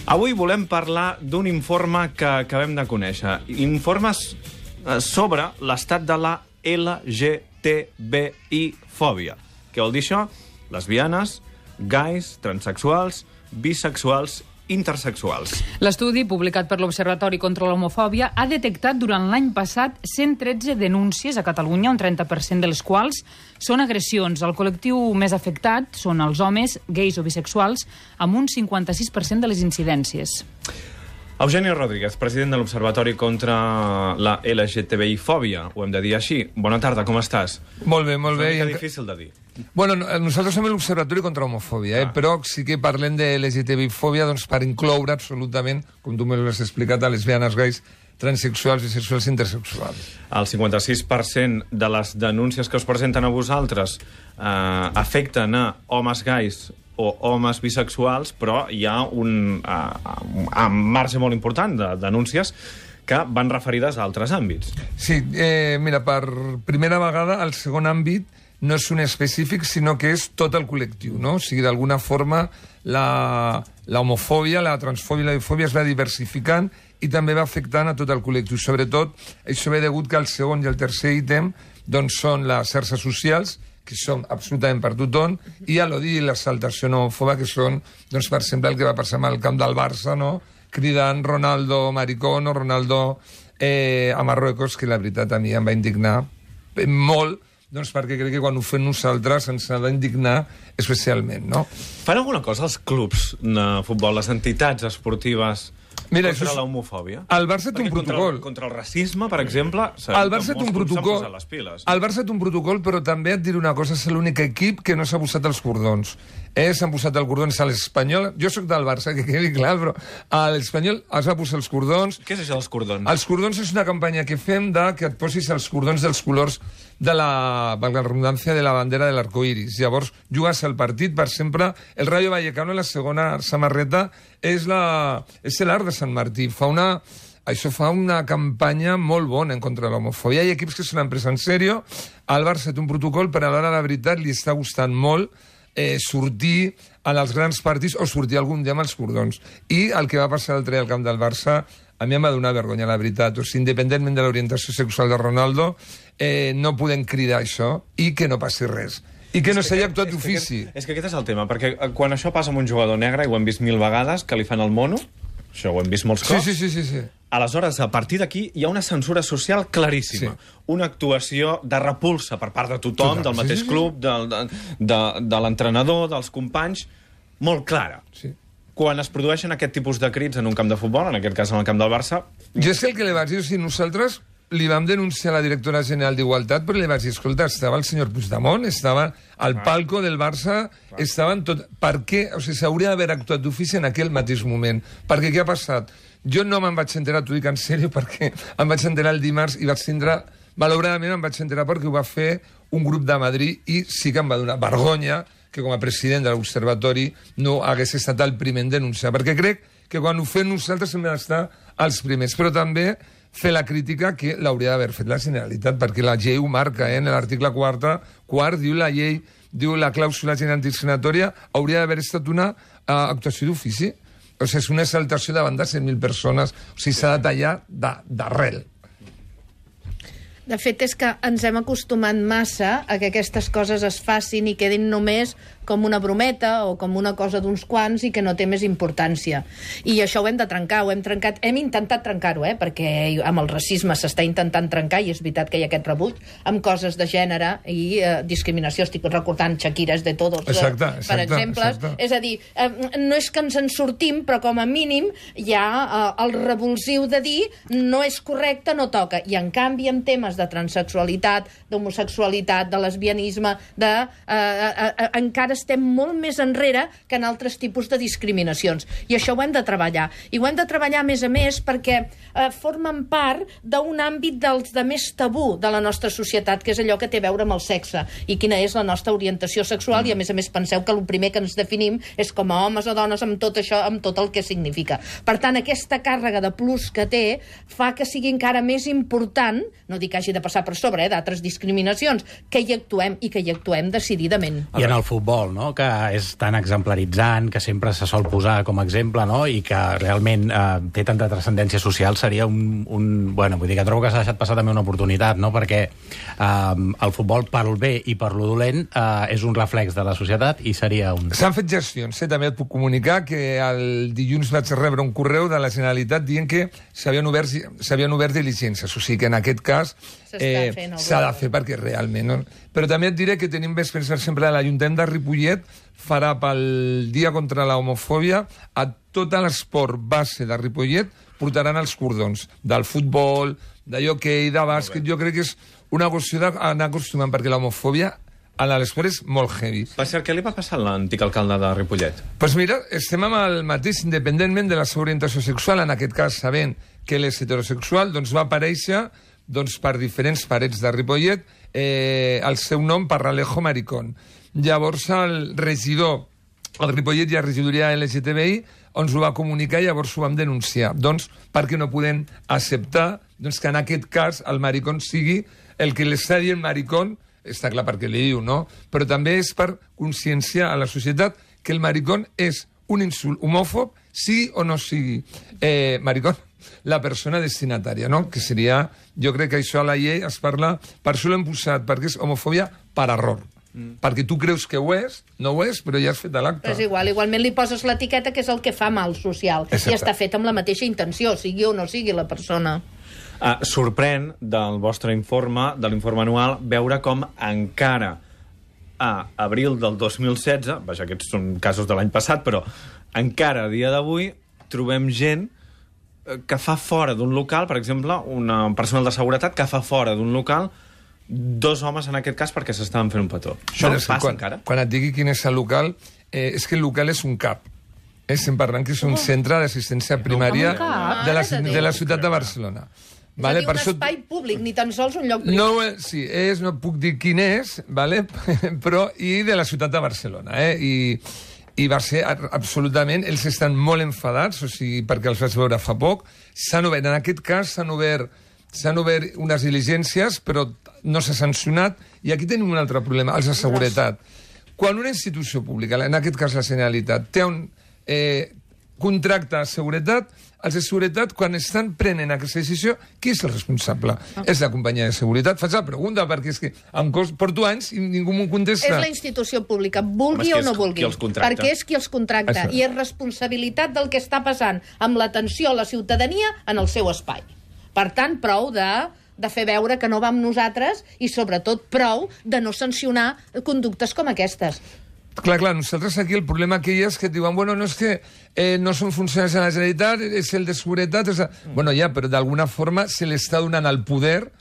Avui volem parlar d'un informe que acabem de conèixer. Informes sobre l'estat de la LGTBI-fòbia. Què vol dir això? Lesbianes, gais, transexuals, bisexuals, intersexuals. L'estudi, publicat per l'Observatori contra l'Homofòbia, ha detectat durant l'any passat 113 denúncies a Catalunya, un 30% de les quals són agressions. El col·lectiu més afectat són els homes, gais o bisexuals, amb un 56% de les incidències. Eugenio Rodríguez, president de l'Observatori contra la LGTBI-fòbia, ho hem de dir així. Bona tarda, com estàs? Molt bé, molt bé. És una mica difícil de dir. Bueno, nosaltres som l'Observatori contra l'Homofòbia, però sí que parlem de LGTBI-fòbia doncs, per incloure absolutament, com tu me l'has explicat, a lesbianes, gais, transsexuals, bisexuals i intersexuals. El 56% de les denúncies que us presenten a vosaltres afecten a homes gais o homes bisexuals, però hi ha un marge molt important de denúncies que van referides a altres àmbits. Sí, mira, per primera vegada el segon àmbit no és un específic, sinó que és tot el col·lectiu, no? O sigui, d'alguna forma, la homofòbia, la transfòbia i la bifòbia es va diversificant i també va afectant a tot el col·lectiu. Sobretot, això ve degut que el segon i el tercer ítem doncs, són les xarxes socials, que són absolutament per tothom, i a l'odi i l'exaltació homòfoba, que són, doncs, per exemple, el que va passar amb el camp del Barça, no? Cridant Ronaldo maricón o Ronaldo a Marruecos, que la veritat a mi em va indignar molt, doncs perquè crec que quan ho fem nosaltres ens ha d'indignar especialment, no? Fan alguna cosa els clubs de futbol, les entitats esportives, contra la homofòbia? El Barça té un protocol. Contra el racisme, per exemple, el Barça té un protocol. El Barça té un protocol, però també et diré una cosa, és l'únic equip que no s'ha posat els cordons. S'han posat els cordons a l'Espanyol. Jo sóc del Barça, que quedi clar, però a l'Espanyol es va posar els cordons. Què és això dels cordons? Els cordons és una campanya que fem que et posis els cordons dels colors de la, valga la redundància, de la bandera de l'arcoiris. Llavors, jugues al partit, per sempre, el Rayo Vallecano, la segona samarreta, és l'art de Sant Martí. Això fa una campanya molt bona en contra de l'homofòbia. Hi ha equips que se l'han pres en sèrio. El Barça té un protocol, però a l'hora, la veritat, li està gustant molt sortir en els grans partits o sortir algun dia amb els cordons. I el que va passar l'altre dia al camp del Barça a mi em va donar vergonya, la veritat. O sigui, independentment de l'orientació sexual de Ronaldo, no podem cridar això i que no passi res. I que no s'hagi actuat d'ofici. És que aquest és el tema, perquè quan això passa amb un jugador negre, i ho hem vist 1000 vegades, que li fan el mono, això ho hem vist molts cops, sí. Aleshores, a partir d'aquí, hi ha una censura social claríssima. Sí. Una actuació de repulsa per part de tothom, del mateix club, de l'entrenador, dels companys, molt clara. Sí. Quan es produeixen aquest tipus de crits en un camp de futbol, en aquest cas en el camp del Barça... Jo sé el que li vaig dir, o sigui, nosaltres li vam denunciar a la directora general d'Igualtat, però li vaig dir, escolta, estava el senyor Puigdemont, estava al palco del Barça, estaven tot... Per què? O sigui, s'hauria d'haver actuat d'ofici en aquell mateix moment. Perquè què ha passat? Jo no me'n vaig enterar, t'ho dic en sèrio, perquè em vaig enterar el dimarts i vaig tindre... Malauradament em vaig enterar perquè ho va fer un grup de Madrid i sí que em va donar vergonya que com a president de l'Observatori no hagués estat el primer en denunciar, perquè crec que quan ho fem nosaltres hem d'estar els primers, però també fer la crítica que l'hauria d'haver fet la Generalitat, perquè la llei ho marca, en l'article quart diu la llei, diu la clàusula general discriminatòria, hauria d'haver estat una actuació d'ofici. O sigui, és una exaltació davant de 100.000 persones, o sigui, s'ha de tallar d'arrel. De fet, és que ens hem acostumat massa a que aquestes coses es facin i quedin només com una brometa o com una cosa d'uns quants i que no té més importància. I això ho hem de trencar, ho hem trencat. Hem intentat trencar-ho, perquè amb el racisme s'està intentant trencar, i és veritat que hi ha aquest rebuig, amb coses de gènere i discriminació. Estic recordant Shakiras de Todos, per exemple. És a dir, no és que ens en sortim, però com a mínim hi ha el revulsiu de dir no és correcte, no toca. I en canvi, en temes de transsexualitat, d'homosexualitat, de lesbianisme, encara estem molt més enrere que en altres tipus de discriminacions. I això ho hem de treballar. I ho hem de treballar, a més, perquè formen part d'un àmbit de més tabú de la nostra societat, que és allò que té a veure amb el sexe i quina és la nostra orientació sexual, i a més penseu que el primer que ens definim és com a homes o dones amb tot això, amb tot el que significa. Per tant, aquesta càrrega de plus que té fa que sigui encara més important, no dic que hagi de passar per sobre d'altres discriminacions, que hi actuem i que hi actuem decididament. I en el futbol, no?, que és tan exemplaritzant, que sempre se sol posar com a exemple, no?, i que realment té tanta transcendència social, seria bueno, vull dir que trobo que s'ha deixat passar també una oportunitat, no?, perquè el futbol, pel bé i per lo dolent, és un reflex de la societat i seria un... S'han fet gestions, també et puc comunicar que el dilluns vaig rebre un correu de la Generalitat dient que s'havien obert diligències, o sigui que en aquest cas s'ha de fer perquè realment... No? Però també et diré que tenim vespres, per exemple, l'Ajuntament de Ripollet farà pel Dia contra la Homofòbia a tot l'esport base de Ripollet portaran els cordons del futbol, de hoquei, de bàsquet. Jo crec que és una qüestió d'anar acostumant, perquè l'homofòbia a l'esport és molt heavy. Per cert, què li va passar a l'antic alcalde de Ripollet? Doncs mira, estem amb el mateix, independentment de la seva orientació sexual, en aquest cas sabent que ell és heterosexual, doncs va aparèixer per diferents parets de Ripollet el seu nom, Parralejo Maricón. Llavors el regidor, el Ripollet hi ha regidoria LGTBI, on ho va comunicar i llavors ho vam denunciar. Doncs perquè no podem acceptar que en aquest cas el maricón sigui el que l'està dient maricón, està clar perquè li diu, no? Però també és per conscienciar a la societat que el maricón és un insult homòfob, sigui o no sigui maricón, la persona destinatària, no? Que seria, jo crec que això a la llei es parla, per això l'hem posat, perquè és homofòbia per error. Perquè tu creus que ho és, no ho és, però ja has fet l'acte. Però és igual, igualment li poses l'etiqueta, que és el que fa mal social. Exacte. I està fet amb la mateixa intenció, sigui o no sigui la persona. Sorprèn del vostre informe, de l'informe anual, veure com encara a abril del 2016, vaja, aquests són casos de l'any passat, però encara a dia d'avui trobem gent que fa fora d'un local, per exemple, un personal de seguretat que fa fora d'un local 2 homes, en aquest cas, perquè s'estaven fent un petó. Això passa encara? Quan et digui quin és el local, és que el local és un CAP. Estem parlant que és un centre d'assistència primària de la ciutat de Barcelona. Vale, és a dir, un espai públic, ni tan sols un lloc privat. No, sí, no puc dir quin és, vale? Però i de la ciutat de Barcelona. I va ser absolutament... Ells estan molt enfadats, o sigui, perquè els vaig veure fa poc. En aquest cas s'han obert unes diligències, però no s'ha sancionat. I aquí tenim un altre problema, els de seguretat. Quan una institució pública, en aquest cas la Generalitat, té un contracte de seguretat, els de seguretat, quan estan prenent aquesta decisió, qui és el responsable? És la companyia de seguretat? Faig la pregunta, perquè és que porto anys i ningú m'ho contesta. És la institució pública, vulgui o no vulgui. Perquè és qui els contracta. I és responsabilitat del que està passant amb l'atenció a la ciutadania en el seu espai. Per tant, prou de fer veure que no va amb nosaltres i, sobretot, prou de no sancionar conductes com aquestes. Clar, nosaltres aquí el problema que hi és que et diuen, bueno, no és que no són funcionaris de la Generalitat, és el de seguretat... Bueno, ja, però d'alguna forma se li està donant el poder,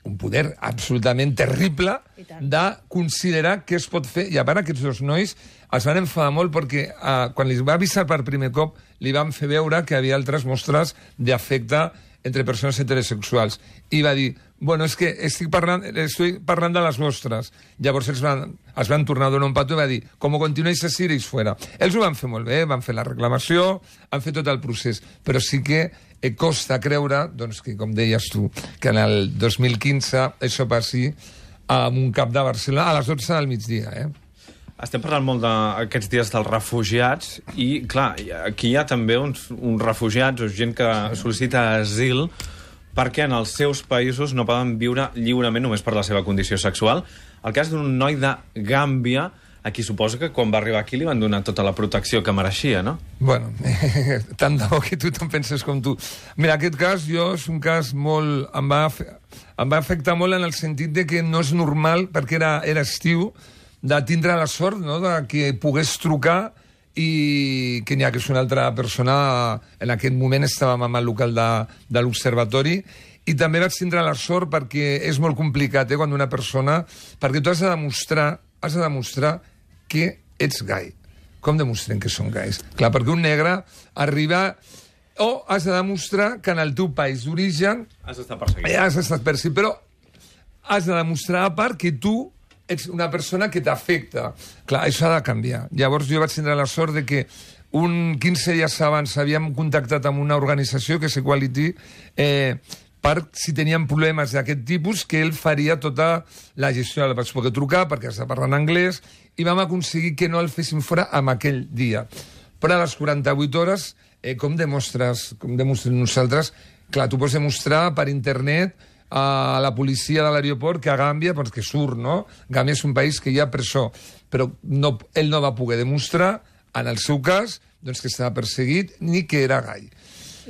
un poder absolutament terrible, de considerar què es pot fer. I a part, aquests 2 nois es van enfadar molt perquè quan li va avisar per primer cop li van fer veure que hi havia altres mostres d'afecte entre persones heterosexuals. I va dir, bueno, és que estic parlant de les vostres. Llavors es van tornar a donar un petó i va dir, com continuéis així, iréis fuera. Ells ho van fer molt bé, van fer la reclamació, han fet tot el procés, però sí que costa creure, doncs, que, com deies tu, que en el 2015 això passi en un CAP de Barcelona a les 12 del migdia, Estem parlant molt d'aquests dies dels refugiats i, clar, aquí hi ha també uns refugiats o gent que sol·licita asil perquè en els seus països no poden viure lliurement només per la seva condició sexual. El cas d'un noi de Gàmbia, a qui suposa que quan va arribar aquí li van donar tota la protecció que mereixia, no? Bueno, tant de bo que tothom penses com tu. Mira, aquest cas és un cas molt... Em va afectar molt en el sentit de que no és normal, perquè era estiu, de tindre la sort, no?, de que pogués trucar i que n'hi ha que és una altra persona. En aquest moment estàvem amb el local de l'Observatori i també vaig tindre la sort perquè és molt complicat, quan una persona... Perquè tu has de demostrar que ets gai. Com demostrem que som gais? Clar, perquè un negre arriba... O has de demostrar que en el teu país d'origen... Has d'estar perseguit. Has estat perseguit, però has de demostrar, a part, que tu ets una persona que t'afecta. Clar, això ha de canviar. Llavors jo vaig tindre la sort de que 15 dies abans havíem contactat amb una organització que és Equality per si tenien problemes d'aquest tipus, que ell faria tota la gestió. El vaig poder trucar perquè està parlant anglès i vam aconseguir que no el fessin fora en aquell dia. Però a les 48 hores, com demostrem nosaltres? Clar, tu pots demostrar per internet a la policia de l'aeroport que a Gàmbia, perquè surt, no? Gàmbia és un país que hi ha presó, però no, ell no va poder demostrar, en el seu cas, doncs, que estava perseguit ni que era gai.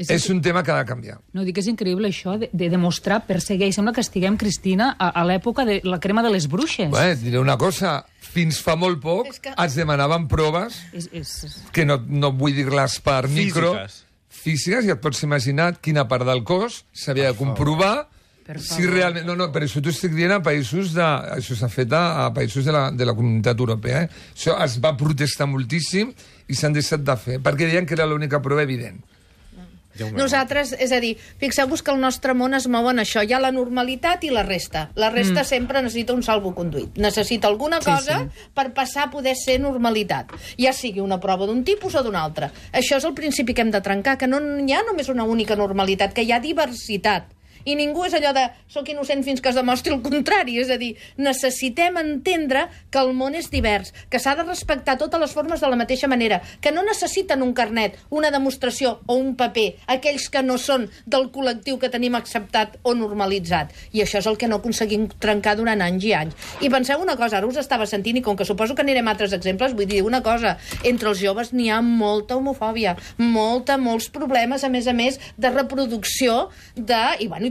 És un tema que ha de canviar. No, dic que és increïble això de demostrar perseguir. Sembla que estiguem, Cristina, a l'època de la crema de les bruixes. Bé, diré una cosa, fins fa molt poc ens demanaven proves, que no vull dir-les per micro, físiques, i et pots imaginar quina part del cos s'havia de comprovar si realment... No, per això t'ho estic dient a països de... Això s'ha fet a països de la Comunitat Europea. Això es va protestar moltíssim i s'han deixat de fer, perquè deien que era l'única prova evident. Nosaltres, és a dir, fixeu-vos que el nostre món es mou en això. Hi ha la normalitat i la resta. La resta sempre necessita un salvoconduit. Necessita alguna cosa per passar a poder ser normalitat. Ja sigui una prova d'un tipus o d'un altre. Això és el principi que hem de trencar, que no hi ha només una única normalitat, que hi ha diversitat. I ningú és allò de soc innocent fins que es demostri el contrari. És a dir, necessitem entendre que el món és divers, que s'ha de respectar totes les formes de la mateixa manera, que no necessiten un carnet, una demostració o un paper, aquells que no són del col·lectiu que tenim acceptat o normalitzat. I això és el que no aconseguim trencar durant anys i anys. I penseu una cosa, ara us estava sentint, i com que suposo que anirem a altres exemples, vull dir una cosa, entre els joves n'hi ha molta homofòbia, molts problemes, a més, de reproducció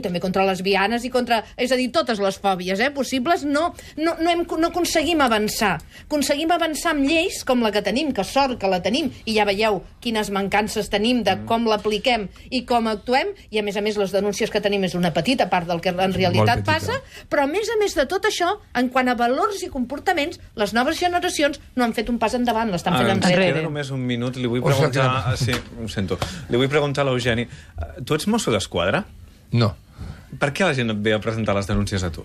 i també contra lesbianes i contra... És a dir, totes les fòbies possibles. No aconseguim avançar. Aconseguim avançar amb lleis com la que tenim, que sort que la tenim, i ja veieu quines mancances tenim de com l'apliquem i com actuem, i a més les denúncies que tenim és una petita part del que en realitat passa, però a més de tot això, en quant a valors i comportaments, les noves generacions no han fet un pas endavant, l'estan fent enrere. Queda només un minut, li vull preguntar... Sí, ho sento. Li vull preguntar a l'Eugeni. Tu ets mosso d'esquadra? No. Per què la gent et ve a presentar les denúncies a tu?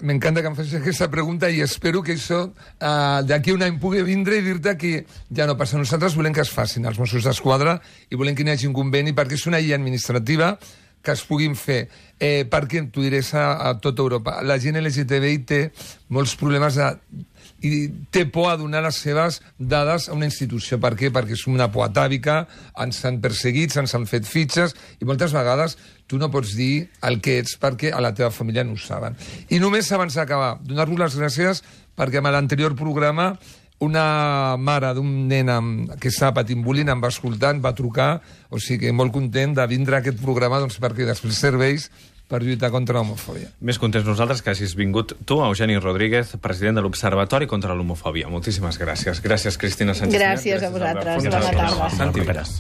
M'encanta que em facis aquesta pregunta i espero que això d'aquí un any pugui vindre i dir-te que ja no passa. Nosaltres volem que es facin els Mossos d'Esquadra i volem que hi hagi un conveni perquè és una llei administrativa que es puguin fer. Perquè, t'ho diré, a tota Europa. La gent LGTBI té molts problemes i té por a donar les seves dades a una institució. Per què? Perquè és una por atàvica, ens han perseguits, ens han fet fitxes, i moltes vegades tu no pots dir el que ets perquè a la teva família no ho saben. I només, abans d'acabar, donar-vos les gràcies perquè en l'anterior programa una mare d'un nen que estava patint bullying em va escoltar, em va trucar, o sigui que molt content de vindre a aquest programa perquè després serveix per lluitar contra l'homofòbia. Més contents nosaltres que hagis vingut tu, Eugeni Rodríguez, president de l'Observatori contra l'Homofòbia. Moltíssimes gràcies. Gràcies, Cristina Sánchez. Gràcies a vosaltres. Bona tarda. Santi Vives.